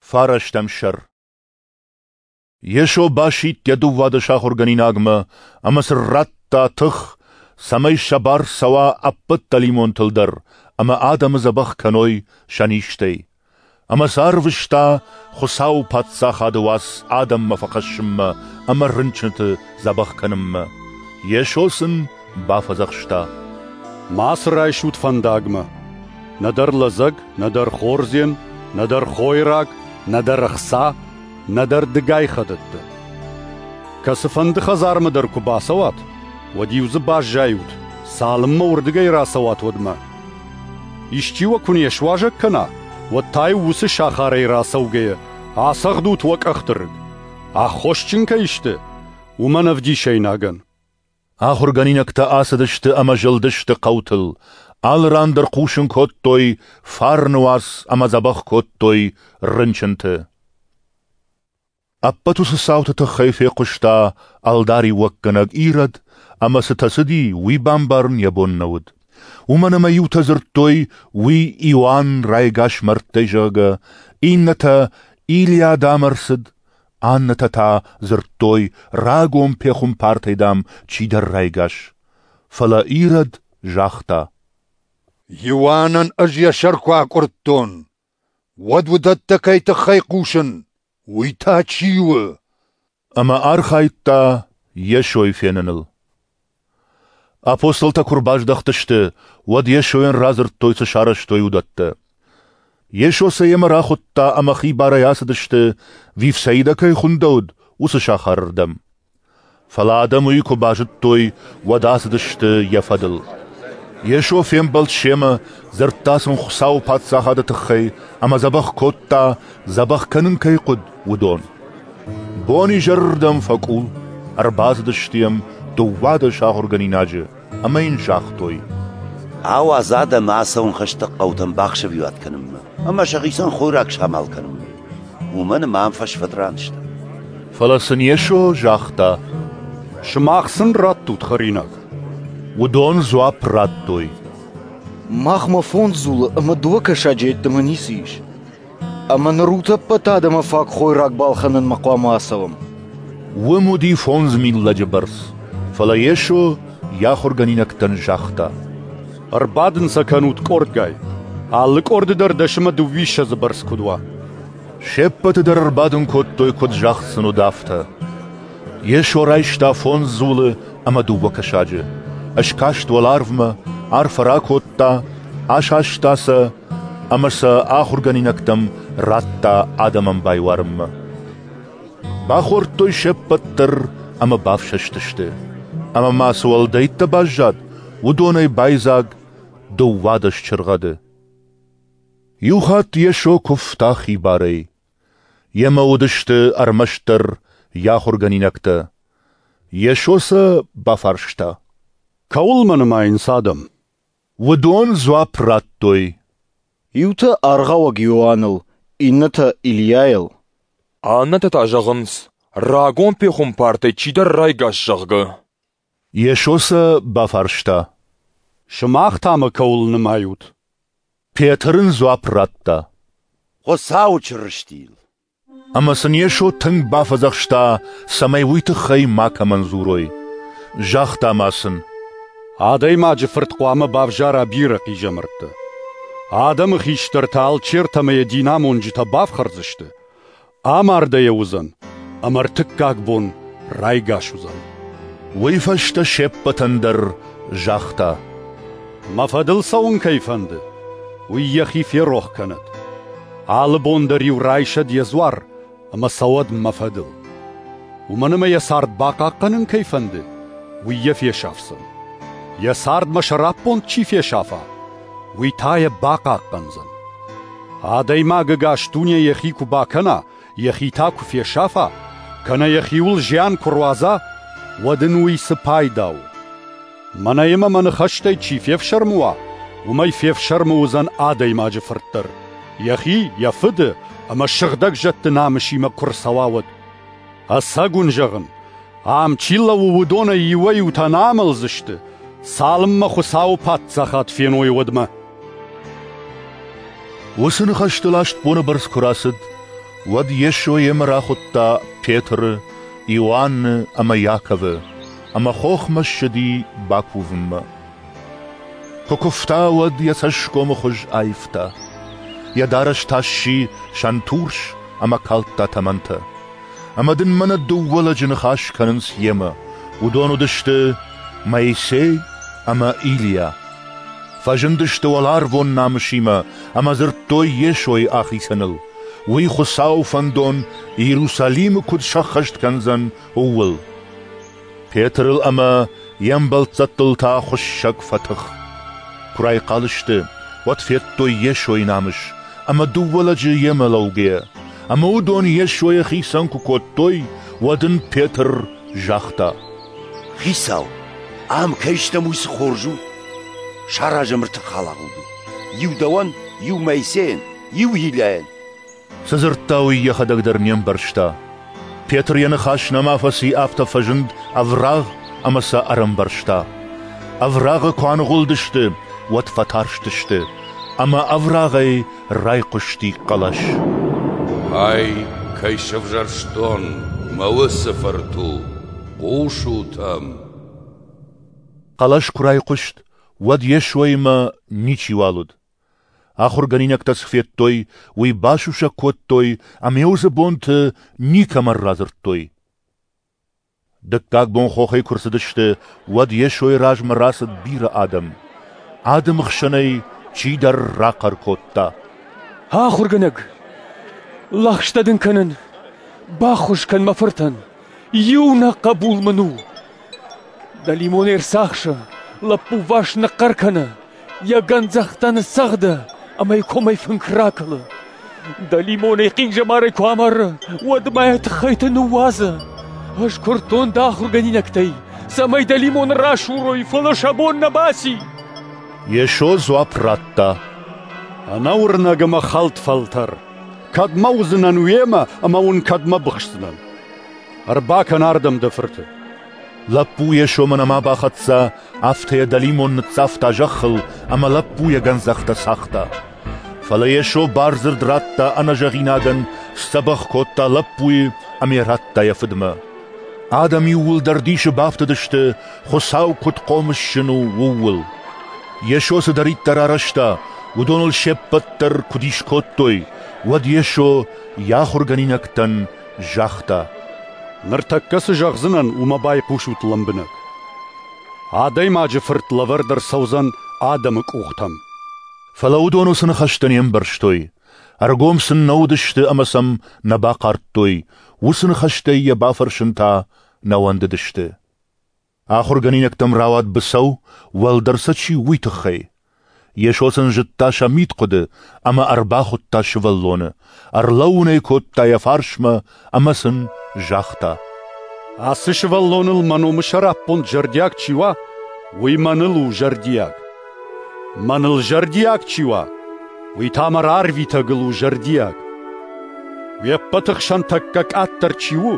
Фарӕстӕм сӕр. Йесо басидт йӕ 12 ахуыргӕнинагмӕ ӕмӕ сын радта тых, цӕмӕй сӕ бар цӕуа ӕппӕт дӕлимонтыл дӕр ӕмӕ адӕмы дзӕбӕх кӕной сӕ низтӕй. Ӕмӕ сӕ арвыста Хуыцауы Паддзахады уац адӕммӕ фӕхӕссынмӕ ӕмӕ рынчынты дзӕбӕх кӕнынмӕ. Йесо сын бафӕдзӕхста: Мацы райсут фӕндагмӕ, нӕдӕр лӕдзӕг, нӕдӕр хордзен, нӕдӕр хойраг, нӕдӕр ӕхца, нӕдӕр дыгай хӕдӕттӕ. Кӕцыфӕнды хӕдзармӕ дӕр куы бацӕуат, уӕд-иу дзы баззайут, цалынмӕ уырдыгӕй рацӕуат, уӕдмӕ. Исчи уӕ куы не суазӕг кӕна, уӕд та-иу уыцы сахарӕй рацӕугӕйӕ ацӕгъдут уӕ къӕхты рыг. Аххосджын кӕй сты, уымӕн ӕвдисӕйнагӕн. Ахуыргӕнинӕгтӕ ацыдысты ӕмӕ зылдысты хъӕутыл, алы ран дӕр хъусын кодтой фарны уац ӕмӕ дзӕбӕх кодтой рынчынты. Ӕппӕт уыцы цауты тыххӕй фехъуыста ӕлдариуӕггӕнӕг Ирод, ӕмӕ цытӕ цыди, уый бамбарын йӕ бон нӕ уыд. Уымӕн ӕмӕ иутӕ дзырдтой, уый Иоанн райгас мӕрдтӕй, зӕгъгӕ, иннӕтӕ Илийа, дам, ӕрцыд, аннӕтӕ та дзырдтой, рагон пехуымпартӕй, дам, чидӕр райгас. Фӕлӕ Ирод загъта: Иоаннӕн ӕз йӕ сӕр куы акъуырдтон, уӕд уыдӕттӕ кӕй тыххӕй хъусын, уый та чи у? Ӕмӕ архайдта Йесойы феныныл. Апостолтӕ куы рбаздӕхтысты, уӕд Йесойӕн радзырдтой, цы сарӕзтой, уыдӕттӕ. Йесо сӕ йемӕ рахуыдта ӕмӕ хибарӕй ацыдысты, Вифсаидӕ кӕй хуындӕуыд, уыцы сахарырдӕм. Фӕлӕ адӕм уый куы базыдтой, уӕд ацыдысты йӕ фӕдыл. Йесо фембӕлд семӕ, дзырдта сын Хуыцауы Паддзахады тыххӕй ӕмӕ дзӕбӕх кодта, дзӕбӕх кӕнын кӕй хъуыд, уыдон. Бон изӕрырдӕм фӕкъул, ӕрбацыдысты йӕм 12 ахуыргӕнинаджы ӕмӕ йын загътой: Ауадз адӕмы ацӕуын хӕстӕг хъӕутӕм бахсӕвиуат кӕнынмӕ ӕмӕ сӕхицӕн хойраг самал кӕнынмӕ, уымӕн ӕмӕ ам фӕсфӕд ран сты. Фӕлӕ сын Йесо загъта: Сымах сын раттут хӕринаг. Уыдон дзуапп радтой: Махмӕ 5 дзулы ӕмӕ 2 кӕсаджы йеддӕмӕ ницы ис. Ӕмӕ ныр утӕппӕт адӕмы фаг хойраг балхӕнынмӕ хъуамӕ ацӕуӕм. Уым уыди 5000 лӕджы бӕрц, фӕлӕ Йесо йӕ ахуыргӕнинӕгтӕн загъта: Ӕрбадын сӕ кӕнут къордгай, алы къорды дӕр 10 ӕмӕ 22 бӕрц куыд уа. Се ппӕты дӕр ӕрбадын кодтой, куыд загъд сын уыд, афтӕ. Йесо райста 5 дзулы ӕмӕ 2 кӕсаджы, ӕскаст уӕларвмӕ, арфӕ ракодта, асаста сӕ ӕмӕ сӕ ахуыргӕнинӕгтӕм радта адӕмӕн байуарынмӕ. Бахордтой се ппӕт дӕр ӕмӕ бафсӕстысты. Ӕмӕ ма цы уӕлдӕйттӕ баззад, уыдонӕй байдзаг 12 чыргъӕды. Иу хатт Йесо куывта хибарӕй. Йемӕ уыдысты ӕрмӕстдӕр йӕ ахуыргӕнинӕгтӕ. Йесо сӕ бафарста: Кӕуыл мӕ нымайынц адӕм? Уыдон дзуапп радтой: Иутӕ аргъауӕг Иоанныл, иннӕтӕ Илийайыл. Аннӕтӕ та зӕгъынц, рагон пехуымпартӕй чидӕр райгас, зӕгъгӕ. Йесо сӕ бафарста: Сымах та мӕ кӕуыл нымайут? Петр ын дзуапп радта: Хуыцауы Чырыстийыл. Ӕмӕ сын Йесо тынг бафӕдзӕхста, цӕмӕй уый тыххӕй макӕмӕн дзурой. Загъта ма сын: Адӕймаджы фырт хъуамӕ бавзара бирӕ хъизӕмӕрттӕ. Адӕмы хистӕртӕ алчертӕ ӕмӕ йӕ динамонджытӕ бафхӕрдзысты, амардӕй уыдзӕн, ӕмӕ ӕртыккаг бон райгас уыдзӕн. Уый фӕстӕ се ппӕтӕн дӕр загъта: Мӕ фӕдыл цӕуын кӕй фӕнды, уый йӕхи ферох кӕнӕд. Алы бон дӕр-иу райсӕд йӕ дзуар ӕмӕ цӕуӕд мӕ фӕдыл. Уымӕн ӕмӕ йӕ цард бахъахъхъӕнын кӕй фӕнды, уый йӕ фесафдзӕн. Йӕ цардмӕ сӕраппонд чи фесафа, уый та йӕ бахъахъхъӕндзӕн. Адӕймаг ӕгас дуне йӕхи куы бакӕна, йӕхи та куы фесафа, кӕнӕ йӕхиуыл зиан куы руадза, уӕд ын уый цы пайда у? Мӕнӕ ӕмӕ мӕ ныхӕстӕй чи фефсӕрмы уа, уымӕй фефсӕрмы уыдзӕн адӕймаджы фырт дӕр, йӕхи, йӕ фыды ӕмӕ сыгъдӕг зӕдты намысимӕ куы рцӕуа, уӕд. Ӕцӕг уын зӕгъын, ам чи лӕууы, уыдонӕй иуӕй-иутӕ нӕ амӕлдзысты, цалынмӕ Хуыцауы Паддзахад феной, уӕдмӕ. Уыцы ныхӕстыл 8 боны бӕрц куы рацыд, Уӕд Йесо йемӕ рахуыдта Петры, Иоанны ӕмӕ Иаковы, ӕмӕ хохмӕ ссыди бакувынмӕ. Куы куывта, уӕд йӕ цӕсгомы хуыз аивта. Йӕ дарӕс та сси сӕнтурс ӕмӕ калдта тӕмӕнтӕ. Ӕмӕ дын мӕнӕ дыууӕ лӕджы ныхас кӕнынц йемӕ. Уыдон уыдысты Моисей ӕмӕ Илийа. Фӕзындысты уӕларвон намысимӕ ӕмӕ дзырдтой Йесойы ахицӕныл, уый Хуыцауы фӕндон Иерусалимы куыд сӕххӕст кӕндзӕн, ууыл. Петрыл ӕмӕ йе мбӕлццӕттыл та хуыссӕг фӕтых. Куы райхъал сты, уӕд федтой Йесойы намыс ӕмӕ дыууӕ лӕджы йемӕ лӕугӕйӕ. Ӕмӕ уыдон Йесойӕ хицӕн куы кодтой, уӕд ын Петр загъта: Хицау, ам кӕй стӕм, уый цы хорз у! Саразӕм ӕртӕ халагъуды: иу дӕуӕн, иу Моисейӕн, иу Илийайӕн. Цы дзырдта, уый йӕхӕдӕг дӕр не мбӕрста. Петр йӕ ныхас нӕма фӕци, афтӕ фӕзынд ӕврагъ ӕмӕ сӕ ӕрӕмбӕрзта. Ӕврагъы куы аныгъуылдысты, уӕд фӕтарстысты, ӕмӕ ӕврагъӕй райхъуысти хъӕлӕс. Ай, кӕй сӕвзӕрстон, мӕ уыцы фырт у, хъусут ӕм. Хъӕлӕс куы райхъуыст, уӕд Йесоимӕ ничиуал уыд. Ахуыргӕнинӕгтӕ цы федтой, уый басусӕг кодтой ӕмӕ уыцы бонты никӕмӕн радзырдтой. Дыккаг бон хохӕй куы рцыдысты, уӕд Йесойы размӕ рацыд бирӕ адӕм. Адӕмы хсӕнӕй чидӕр рахъӕр кодта: Ахуыргӕнӕг, лӕгъстӕ дын кӕнын, баххуыс кӕн мӕ фыртӕн, иунӕг хъӕбул мын у. Дӕлимон ӕрцахсы, лӕппу вас ныхъхъӕр кӕны, йӕ гӕндзӕхтӕ ныццӕгъды ӕмӕ йӕ комӕй фынк ракӕлы. Дӕлимонӕй хъизӕмарӕй куы амары, уӕд ма йӕ тыххӕйты ныууадзы. Ӕз куырдтон дӕ ахуыргӕнинӕгтӕй, цӕмӕй дӕлимоны расурой, фӕлӕ сӕ бон нӕ баци. Йесо дзуапп радта: Ӕнӕуырнӕг ӕмӕ хӕлд фӕлтӕр! Кӕдмӕ уыдзынӕн уемӕ ӕмӕ уын кӕдмӕ быхсдзынӕн? Ӕрбакӕн ардӕм дӕ фырты. Лӕппу Йесомӕ нӕма бахӕццӕ, афтӕ йӕ дӕлимон ныццавта зӕххыл ӕмӕ лӕппу йӕ гӕндзӕхтӕ цагъта. Фӕлӕ Йесо бардзырд радта ӕнӕзӕгъинагӕн, сдзӕбӕх кодта лӕппуйы ӕмӕ йӕ радта йӕ фыдмӕ. Адӕм иууылдӕр дисы бафтыдысты, Хуыцау куыд хъомысджын у, ууыл. Йесо цыдӕриддӕр арӕзта, уыдоныл се ппӕт дӕр куы дис кодтой, уӕд Йесо йӕ ахуыргӕнинӕгтӕн загъта: Ныртӕккӕ цы зӕгъдзынӕн, уымӕ байхъусут лӕмбынӕг. Адӕймаджы Фырт лӕвӕрд ӕрцӕудзӕн адӕмы къухтӕм. Фӕлӕ уыдон уыцы ныхӕстӕ не мбӕрстой, ӕргом сын нӕ уыдысты ӕмӕ сӕм нӕ бахъардтой, уыцы ныхӕстӕй йӕ бафӕрсын та нӕ уӕндыдысты. Ахуыргӕнинӕгтӕм рауад быцӕу, уӕлдӕр сӕ чи у, уый тыххӕй. Йесо сын зыдта сӕ мидхъуыды ӕмӕ ӕрбахуыдта сывӕллоны, ӕрлӕууын ӕй кодта йӕ фарсмӕ ӕмӕ сын загъта: Ацы сывӕллоныл мӕ номы сӕраппонд зӕрдиаг чи уа, уый мӕныл у зӕрдиаг. Мӕныл зӕрдиаг чи уа, уый та мӕ рарвитӕгыл у зӕрдиаг. Уе ппӕты хсӕн тӕккӕ къаддӕр чи у,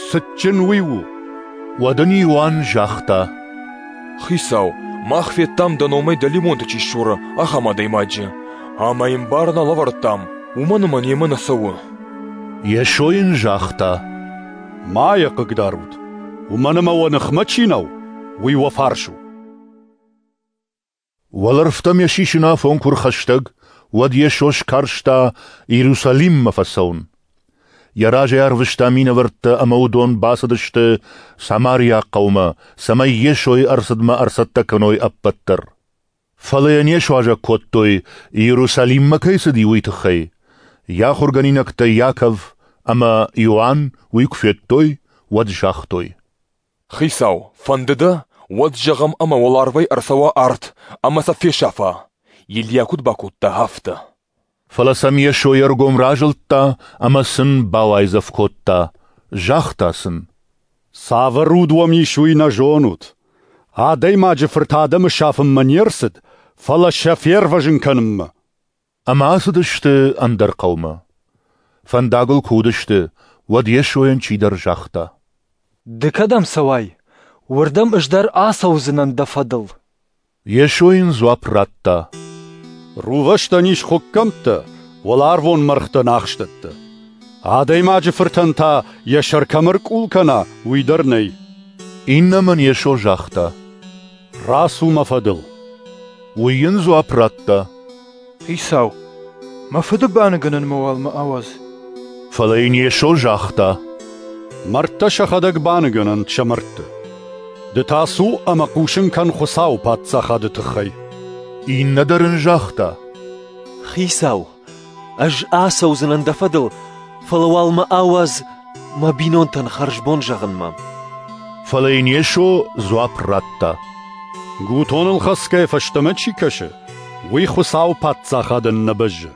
цытджын уый у. Уӕд ын Иоанн загъта: Хицау, мах федтам дӕ номӕй дӕлимонты чи ссуры, ахӕм адӕймаджы, ӕмӕ йын бар нӕ лӕвӕрдтам, уымӕн ӕмӕ немӕ нӕ цӕуы. Йесо йын загъта: Ма йӕ хъыгдарут, уымӕн ӕмӕ уӕ ныхмӕ чи нӕу, уый уӕ фарс у. Уӕлӕрвтӕм йӕ сисын афон куы рхӕстӕг, уӕд Йесо скарста Иерусалиммӕ фӕцӕуын. Йӕ разӕй арвыста минӕвӕрттӕ ӕмӕ уыдон бацыдысты Самариаг хъӕумӕ, цӕмӕй Йесойы ӕрцыдмӕ ӕрцӕттӕ кӕной ӕппӕт дӕр. Фӕлӕ йӕ не суазӕг кодтой, Иерусалиммӕ кӕй цыди, уый тыххӕй. Йӕ ахуыргӕнинӕгтӕ Иаков ӕмӕ Иоанн уый куы федтой, уӕд загътой: Хицау, фӕнды дӕ, уӕд зӕгъӕм ӕмӕ уӕларвӕй ӕрцӕуа арт ӕмӕ сӕ фесафа, Илийа куыд бакодта, афтӕ. Фӕлӕ сӕм Йесо йе ргом разылдта ӕмӕ сын бауайдзӕф кодта, загъта сын: Цавӕр уд уӕм ис, уый нӕ зонут. Адӕймаджы Фырт адӕмы сафынмӕ не рцыд, фӕлӕ сӕ фервӕзын кӕнынмӕ. Ӕмӕ ацыдысты ӕндӕр хъӕумӕ. Фӕндагыл куы уыдысты, уӕд Йесойӕн чидӕр загъта: Ды кӕдӕм цӕуай, уырдӕм ӕз дӕр ацӕудзынӕн дӕ фӕдыл. Йесо йын дзуапп радта: Рувӕстӕн ис хуыккӕмттӕ, уӕларвон мӕргътӕн ахстӕттӕ. Адӕймаджы Фыртӕн та йӕ сӕр кӕм ӕркъул кӕна, уый дӕр нӕй. Иннӕмӕн Йесо загъта: Рацу мӕ фӕдыл. Уый йын дзуапп радта: Хицау, мӕ фыды баныгӕнынмӕ уал мӕ ауадз. Фӕлӕ йын Йесо загъта: Мӕрдтӕ сӕхӕдӕг баныгӕнӕнт сӕ мӕрдты. Ды та цу ӕмӕ хъусын кӕн Хуыцауы паддзахады тыххӕй. Иннӕ дӕр ын загъта: Хицау, ӕз ацӕудзынӕн дӕ фӕдыл, фӕлӕ уал мӕ ауадз мӕ бинонтӕн хӕрзбон зӕгъынмӕ. Фӕлӕ йын Йесо дзуапп радта: Гутоныл хӕцгӕйӕ фӕстӕмӕ чи кӕсы, уый Хуыцауы паддзахадӕн нӕ бӕззы.